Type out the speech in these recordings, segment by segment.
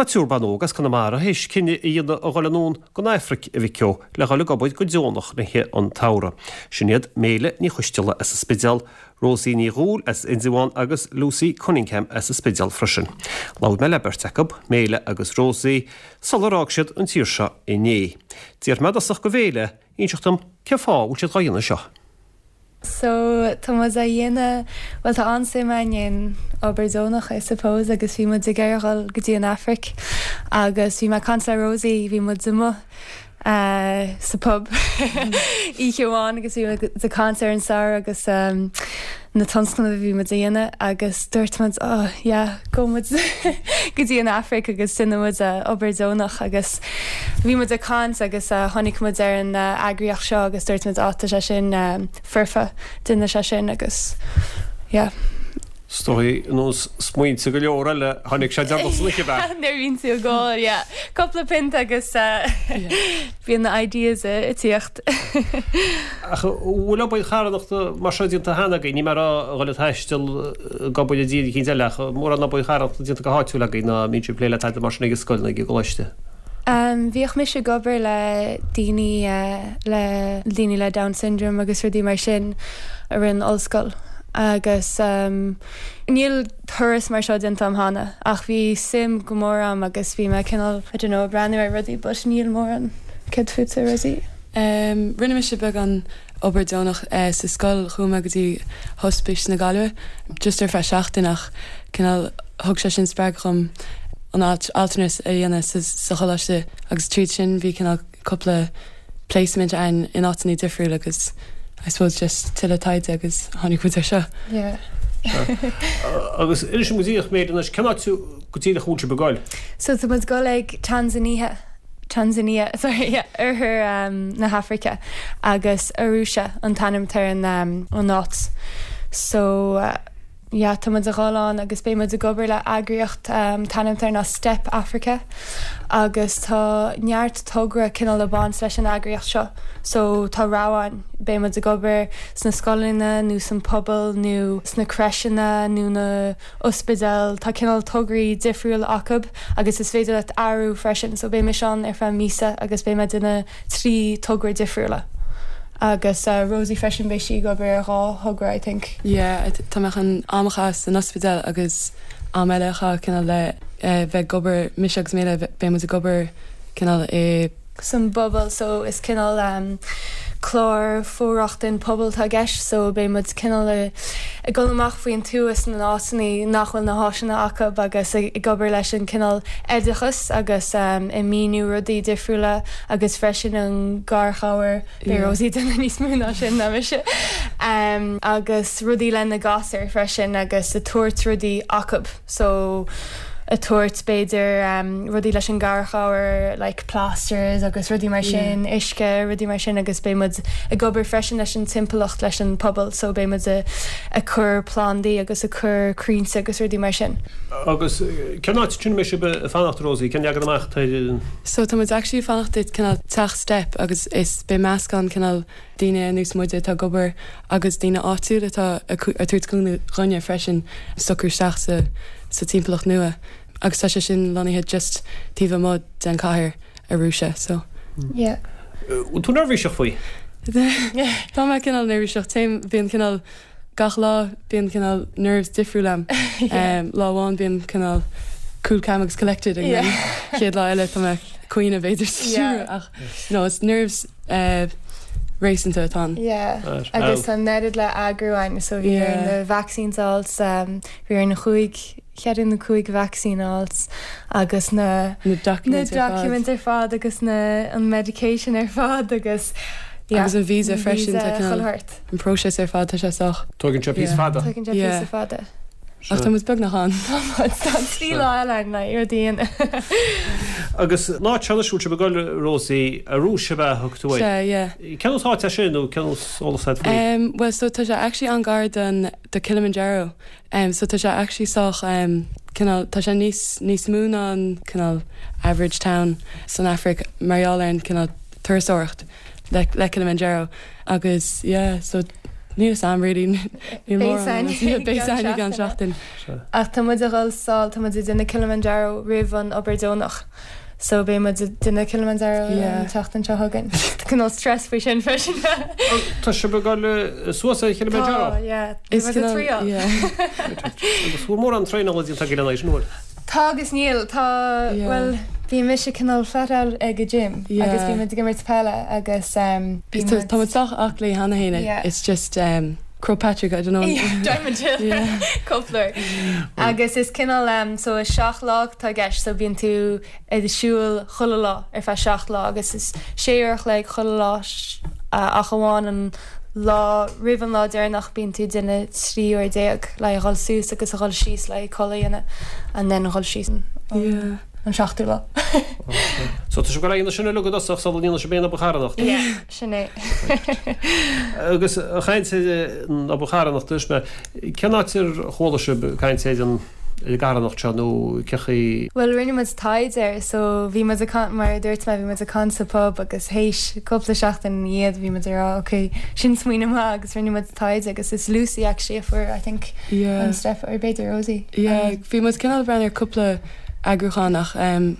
Tá triúr ban óg as Conamara théis cinneadh a dhéanamh a dhul anonn gon Aifric, a mhic ó, le dhul ag obair go deonach le rith an tsamhraidh. Sin iad Méile Ní Choisteala as an Spidéal, Rosie Ní Dhúill as Indreabhán agus Lucy Cunningham as an Spidéal freisin. Labhair mé le beirt acu, Méile agus Rosie, sular fhág siad an tír seo inné. D'iarr mé i dtosach go Mhéile inseacht dom cén fáth a bhfuil siad dhá dhéanamh seo. So tá muid á dhéanamh, bhuel tá an-suim againn in obair deonach I suppose agus bhí muid ag iarraidh dhul go dtí an Afraic agus bhí mé ag caint le Rosie, bhí muid amuigh sa pub oíche amháin agus bhí muid ag caint ar an samhradh agus na tionscnaimh a bhí muid a dhéanamh agus dúirt muid oh yeah gabhfaidh muid go dtí an Afraic agus déanfaidh muid obair deonach agus bhí muid ag caint agus tháinig muid ar an eagraíocht seo agus dúirt muid oh tá sé sin foirfe déanfaidh sé sin agus yeah. Is dóigh, ar nós smaointe go leor eile, tháinig sé deireanach san oíche, ab ea? Nuair a bhíonn tú ag ól, yeah. Cúpla pionta agus bíonn na ideas ag tíocht. Ach an bhfuil obair charthanachta mar seo déanta cheana agaibh? Níl mé ag rá a dhul ag taisteal ag obair i dtír eicínt eile ach mórán obair charthanachta déanta go háitiúil agaibh nó an mbíonn sibh ag plé le tada mar sin ag an scoil nó ag an gcoláiste? Bhíodh mise ag obair le daoine le daoine le Down syndrome agus rudaí mar sin i rith an ollscoil agus níl turas mar seo déanta agam cheana ach bhí suim go mór agam agus bhí mé cineál I don't know ag breathnú ar rudaí but níl mórán. Céard fútsa Rosie? Rinne mise beagán obair deonach sa scoil, chuaigh mé go dtí Hospice na Gaillimhe just ar feadh seachtain ach cineál thug sé sin spreagadh dhom an altranais a dhéanamh sa choláiste agus tríd sin bhí cineál cúpla placement ann in áiteanna difriúla agus I suppose just tuilleadh taighde agus tháinig muid ar seo. Yeah. Agus inis dom go díreach Méile anois, cén áit go díreach a bhfuil sibh ag goil? So tá muid ag goil ag Tanzania. Tanzania, sorry, yeah, oirthear na hAfraice agus Arusha an t-ainm atá ar an an áit. So yeah, tá muid a dhul ann agus beidh muid ag obair le eagraíocht an t-ainm atá air ná Step Africa agus tá neart togra cineál ag baint leis an eagraíocht seo. So tá rogha ann, beidh muid ag obair sna scoileanna nó san pobal nó sna crècheanna nó na ospidéil, tá cineál tograí difriúla acu agus is féidir leat athrú freisin so beidh mise ann ar feadh míosa agus beidh mé ag déanamh 3 togra difriúla agus Rosie freisin beidh sí ag obair ar dhá thogra I think. Yeah, tá mé chun am a chaitheamh san ospidéal agus am eile a chaitheamh cineál le bheith ag obair, mise agus Méile beidh muid ag obair cineál i. san bpobal so is cineál clár for-rochtain pobail atá i gceist so beidh muid cineál ag dul amach faoin tuath sna áiteanna nach bhfuil na háiseanna acu agus ag obair leis an cineál oideachas agus ag míniú rudaí difriúla agus freisin an garchabhair, beidh Rosie ag déanamh níos mó ná sin ná mise agus rudaí le na gasúir freisin agus ag tabhairt rudaí acu. so ag tabhairt b'fhéidir rudaí leis an garchabhair like plasters agus rudaí mar sin, uisce, rudaí mar sin agus beidh muid ag obair freisin leis an timpeallacht, leis an pobal so beidh muid ag cur plandaí agus ag cur crainnte agus rudaí mar sin. Agus cén áit sin a mbeidh sibh ag fanacht Rosie, cén leagan amach atá ar an. So tá muid actually ag fanacht i cineál teach Step agus is beidh meascán cineál daoine ar nós muide atá ag obair agus daoine áitiúil atá ag tabhairt cúnamh dhúinne freisin socrú isteach sa sa timpeallacht nua agus tá sé sin lonnaithe just taobh amuigh den chathair Arusha so. Yeah. Bhfuil tú neirbhíseach faoi? Tá mé cineál neirbhíseach, téim, bíonn cineál gach lá bíonn cineál nerves difriúil a'm. Lá amháin bím cineál cool calm agus collected and then chéad lá eile tá mé ag caoineadh b'fhéidir sa seomra ach no it's nerves réasúnta atá ann. Yeah. Agus tá an oiread le eagrú ann so bhí orainn na vaccines a fháilt, bhí orainn chúig, cheithre nó cúig vaccine a fháilt agus na na documents ar fad. Na documents ar fad agus na an medication ar fad agus yeah. Agus an visa freisin tá cineál an próiseas ar fad tá sé sách. Tógann sé píosa fada. Tógann sé píosa fada. Ach tá muid beagnach ann. Tá muid, tá 3 lá eile ann le rudaí a dhéanamh. Agus an áit seo anois a bhfuil sibh ag dul, Rosie, Arusha ab ea a thug tú air? Sea, yeah. Cén nós áit é sin nó cén nós eolas agat faoi? Em, bhuel so tá sé actually an-ghar don, do Kilimanjaro. Em, so tá sé actually sách, em, cineál, tá sé níos, níos mó ná an cineál average town san Afraic mar gheall ar an cineál turasóireacht le, le Kilimanjaro. Agus yeah, so. Níl 'fhios a'm really. Níl mórán. Beidh 'fhios a'inn i gceann seachtain. Ach tá muid a dhul sall, tá muid ag déanamh Kilimanjaro roimh an obair deonach. So beidh muid ag déanamh Kilimanjaro an tseachtain seo chugainn. Tá cineál stress faoi sin freisin. Tá sibh ag dul suas ar Kilimanjaro? Tá, yeah. Is muid ag triáil. Agus bhfuil mórán traenála déanta agaibh lena aghaidh sin, an bhfuil? Tá agus níl. Tá, bhuel, bhí mise cineál flat out ag an gym agus bhí muid ag imirt peile agus bhí muid. Tá muid sách aclaí cheana féin. It's just Croagh Patrick, I don't know. Diamond Hill cúpla uair. Agus is cineál so is 7 lá atá i gceist so bíonn tú ag siúl chuile lá ar feadh 7 lá agus is 6 uair a chloig chuile lá ach amháin an lá roimh an lá deireanach bíonn tú ag déanamh 13 uair le dhul suas agus a dhul síos le codladh a dhéanamh and then a dhul síos an seachtú lá. So tá sibh ag dul a dhéanamh sin uilig i dtosach sula ndéanfaidh sibh aon obair charthanachta? Yeah, sin é. Agus ag caint ar an obair charthanachta, is mé, cén áit ar chuala sibh caint ar an ar an gcarthanacht seo nó cé chaoi? Bhuel, rinne muid taighde air, so bhí muid ag caint, mar a dúirt mé, bhí muid ag caint sa pub agus théis cúpla seachtain ina dhiaidh bhí muid ag rá ok, sin smaoineamh maith agus rinne muid taighde agus is Lucy actually a fuair I think Yeah. an step or b'fhéidir Rosie. Yeah, bhí muid cineál ag breathnú ar cúpla eagrúchán ach em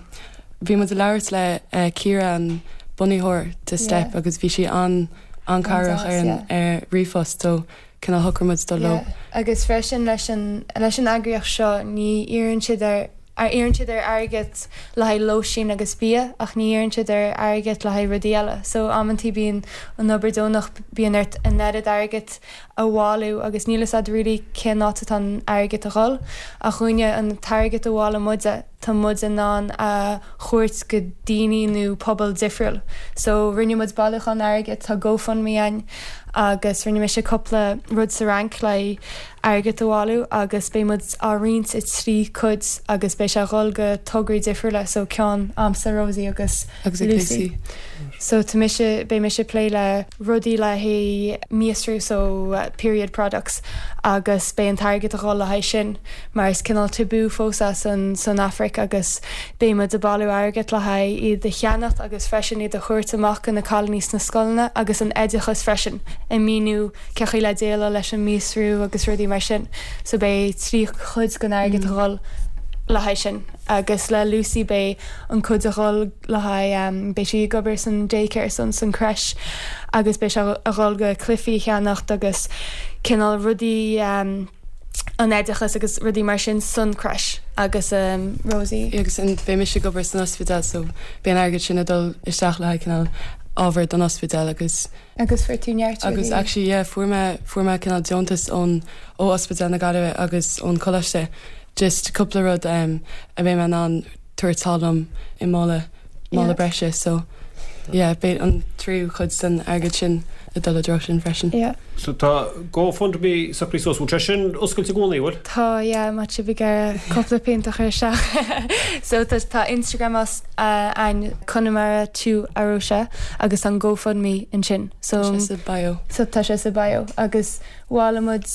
bhí muid ag labhairt le eh Ciara an bunaitheoir de Step Yeah. agus bhí sí an an-chabhrach ar an yeah. ar ríomhphost so cineál shocraigh muid dul leo. Yeah, agus freisin leis an leis an eagraíocht seo ní iarrann siad ar iarrann siad ar airgead le haghaidh lóistín agus bia ach ní iarrann siad ar airgead le haghaidh rudaí eile. So amantaí bíonn an obair deonach bíonn ort an oiread airgead a bhailiú agus níl fhios a'd really cén áit atá an airgead a dhul ach dhúinne an t-airgead a bhailigh muide tá muid in ann a thabhairt go daoine nó pobal difriúil. So rinne muid bailiúchán airgid, tá GoFundMe a'inn agus rinne mise cúpla rud sa Fhrainc le airgead a bhailiú agus beidh muid á roinnt i dtrí cuid agus beidh sé a dhul go tograí difriúla so ceann a'msa, Rosie agus Agus ag Lucy. Lucy. So tá mise, beidh mise ag plé le rudaí le haghaidh míostrú so period products agus beidh an t-airgead a dhul le haghaidh sin. mar is cineál tabú fós é san san Afraic agus beidh muid ag bailiú airgead le haghaidh iad a cheannacht agus freisin iad a thabhairt amach go na cailíní sna scoileanna agus an oideachas freisin ag míniú cé chaoi le déileáil leis an míostrú agus rudaí mar sin so beidh 3 chuid den airgead a dhul le haghaidh sin agus le Lucy beidh an cuid a dhul le haghaidh beidh sí ag obair san daycare san san creche agus beidh sé a dhul go cluichí a cheannacht agus cineál rudaí an oideachas agus rudaí mar sin san creche agus Rosie. Agus beidh mise ag obair san ospidéal so beidh an airgead sin ag dul isteach le haghaidh cineál ábhar don ospidéal agus. Agus fuair tú neart rudaí. Agus actually yeah fuair mé fuair mé cineál deontas ón ó Ospidéal na Gaillimhe agus ón Coláiste just cúpla rud a mbeidh mé in ann tabhairt thall liom i mála mála breise so yeah beidh an tríú cuid den airgead sin ag dul i dtreo sin freisin. Yeah. So tá GoFundMe socraithe suas, bhfuil sé sin oscailte i gcónaí, bhfuil? Tá yeah má tá sibh ag iarraidh cúpla pint a chur isteach. So tá tá Instagram a'ainn Conamara to Arusha agus tá an GoFundMe ansin. So Tá sé sa bio. So tá sé sa bio agus Bhailigh muid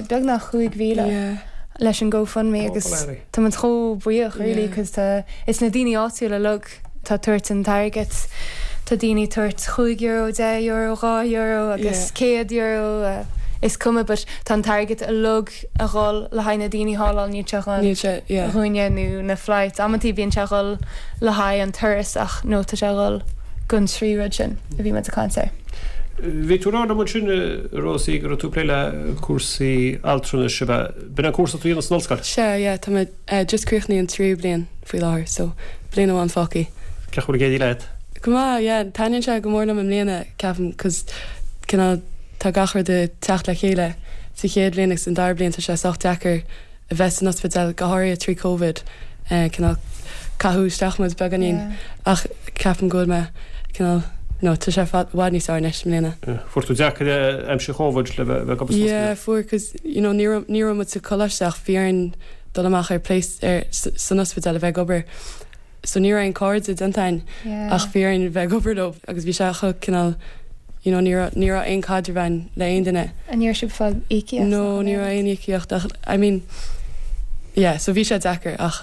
beagnach 5,000 leis an GoFundMe agus tá muid chomh buíoch really cos tá, is na daoine áitiúla uilig atá ag tabhairt an t-airgead, tá daoine ag tabhairt €5, €10, €2 agus €100, is cuma but tá an t-airgead uilig a dhul le haghaidh na daoine thall ann, níl sé a dhul dhúinne nó na flights, amantaí bíonn sé a dhul le haghaidh an turas ach no tá sé a dhul gon trí rud sin a bhí muid ag caint air. Bhí tú ag rá liom ansin, a Rosie, go raibh tú ag plé le cúrsaí altranais, ab ea? B'in an cúrsa atá tú a dhéanamh san ollscoil? Sea, yeah, tá mé just críochnaithe an tríú bliain faoi láthair, so bliain amháin fágtha. Cén chaoi a bhfuil ag éirí leat? Go maith, yeah, taitníonn sé go mór liom i mbliana, ceapaim, 'cause cineál tá gach rud ag teacht le chéile. Sa chéad bhliain agus an dara bliain tá sé sách deacair a bheith san ospidéal, go háirithe trí Covid, cineál caitheadh isteach muid beagáinín ach ceapaim go bhfuil mé cineál, no, tá sé i bhfad níos fearr anois i mbliana. Fuair tú deacair é aimsir Chóivid le bheith ag obair san ospidéal? Yeah, fuair cos you know ní raibh ní raibh muid sa choláiste ach bhí orainn dul amach ar place ar san ospidéal a bheith ag obair. So ní raibh aon cairde déanta againn ach bhí orainn bheith ag obair leo agus bhí sé chomh cineál you know ní raibh ní raibh aon caidreamh againn le aon duine. An raibh sibh ag fáil íocaíocht? No ní raibh aon íocaíocht ach I mean yeah so bhí sé deacair ach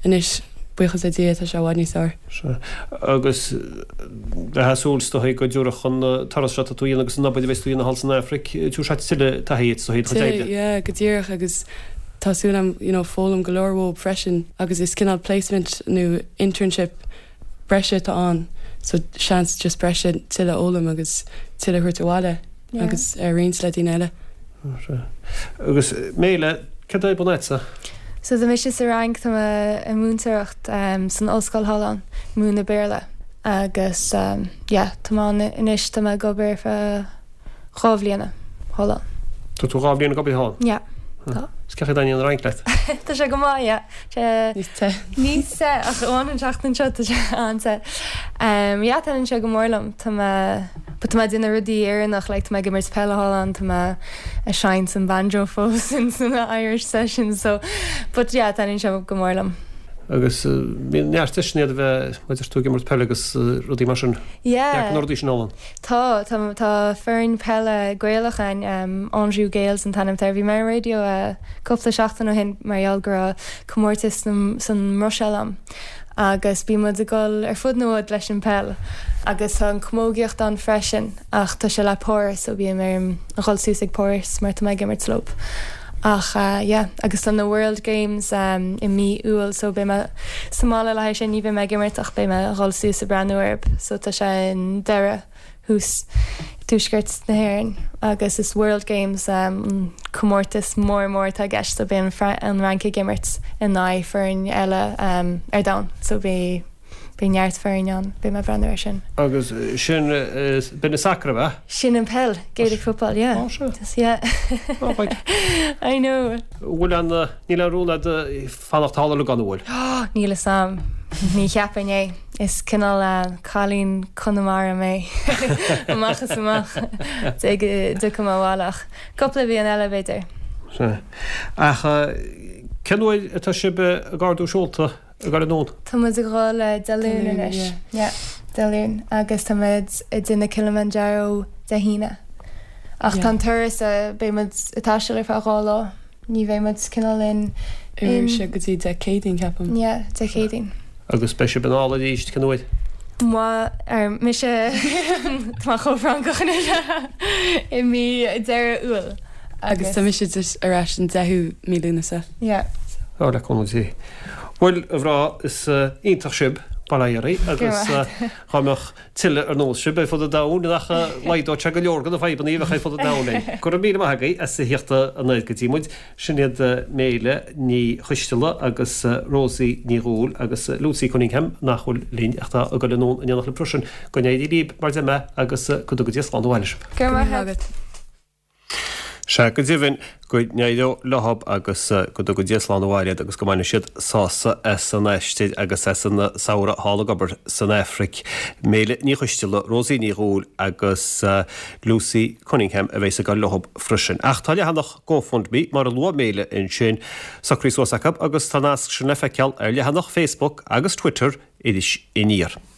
anois. Buíochas le Dia, tá sé i bhfad níos fearr. Sea. Agus bheifeá ag súil is dóigh go dtabharfadh an turas seo atá tú a dhéanamh agus an obair a bheas tú a dhéanamh thall san Afraic, tabharfaidh sé tuilleadh taithí duit is dóigh i do chuid oibre. Yeah, go díreach agus tá súil agam, you know, foghlaim go leor uathu freisin agus is cineál placement nó internship breise atá ann so seans just breise tuilleadh a fhoghlaim agus tuilleadh a thabhairt abhaile agus a roinnt le daoine eile. Agus Méile, céard é bun agatsa? So tá mise sa Fhrainc, tá mé ag múinteoireacht san ollscoil thall ann, múineadh Béarla agus yeah, tá mé ann anois, tá mé ag obair ar feadh 2 bhliana thall ann. Tá tú 2 bhliain ag obair thall ann? Yeah, tá. Is cén chaoi a dtaitníonn an Fhrainc leat? Tá sé go maith, yeah. Níos te. Níos te, ach amháin an tseachtain seo, tá sé an-te. Yeah, taitníonn sé go mór liom. Tá mé, but tá mé ag déanamh rudaí Éireannach, like tá mé ag imirt peile thall ann, tá mé ag seinnt an banjo fós in sna Irish sessions, so, but yeah, taitníonn sé go mór liom. Agus bíonn neart deiseanna iad a bheith, mar a deir tú, ag imirt peile agus rudaí mar sin. Yeah. Neart na rudaí sin ann. Tá, tá, tá foireann peile Gaelach ann, Anjou Gaels an t-ainm atá air. Bhí mé ar an raidió cúpla seachtain ó shin mar gheall go raibh comórtas san mBruiséil ann agus bíonn muid ag dul ar fud na bhfud leis an peil agus tá an camógaíocht ann freisin ach tá sé le Páras so bím ag dhul suas ag Páras mar tá mé ag imirt leo. Ach yeah, agus tá na World Games i mí Iúil so beidh mé sa mbaile le haghaidh sin, ní bheidh mé ag imirt ach beidh mé ag dhul suas ag breathnú orthu so tá sé i nDoire thuas i dtuaisceart na hÉireann agus is World Games an comórtas mór mór atá i gceist so beidh an Fhrainc ag imirt in aghaidh foireann eile ar domhan so beidh Beidh neart foirne ann, beidh mé ag breathnú air sin. Agus sin, b'in an sacar, ab ea? Sin an peil, Gaelic football, yeah. Á, sea. Yeah. Á, right. I know. Bhfuil an, níl aon rún agat fanacht thall uilig an bhfuil? Níl fhios a'm. Ní cheapfainn é. Is cineál cailín Conamara mé. Amach is amach. Dé go dtiocfaidh mé abhaile ach cúpla bliain eile b'fhéidir. Sea. Ach cén uair atá sibh ag ardú seolta? Ag dul anonn. Tá muid ag dhul Dé Luain anois. Yeah, Dé Luain. Agus tá muid ag déanamh Kilimanjaro Dé hAoine. Ach tá an turas, beidh muid ag taisteal ar feadh 2 lá. Ní bheidh muid cineál in. I Rúise go dtí Dé Céadaoin, ceapaim. Yeah, Dé Céadaoin. Agus beidh sibh anall arís cén uair? Moi, ar mise, tá mé chomh Francach anois, i mí deireadh Iúil. Agus tá mise just ar ais an 10ú mí Lúnasa. Yeah. Ó, le cúnamh Dé. Bhuel, a mhná, is iontach sibh, bail ó Dhia oraibh, agus dá mbeadh tuilleadh ar nós sibh ar fud an domhain, nach laghdódh sé go leor de na fadhbanna a bheadh ar fud an domhain linn. Go raibh míle maith agaibh as a thíocht anoir go dtí muid. Sin iad Méile Ní Choisteala agus Rosie Ní Dhúill agus Lucy Cunningham nach bhfuil linn ach atá ag dul anonn in éineacht libh freisin. Go n-éirí libh mar a deir mé agus go dtuga Dia slán abhaile sibh. Go raibh maith agat. Sea, go deimhin, go n-éireoidh leothab agus go dtuga Dia slán abhaile iad agus go mbaine siad sásamh as an aistear agus as an samhradh thall ag obair san Afraic. Méile Ní Choisteala, Rosie Ní Dhúill agus Lucy Cunningham a bheas ag dul leothab freisin. Ach tá leathanach GoFundMe, mar a luaigh Méile ansin, socraithe suas acu agus tá an nasc sin le feiceáil ar leathanach Facebook agus Twitter Iris Aniar.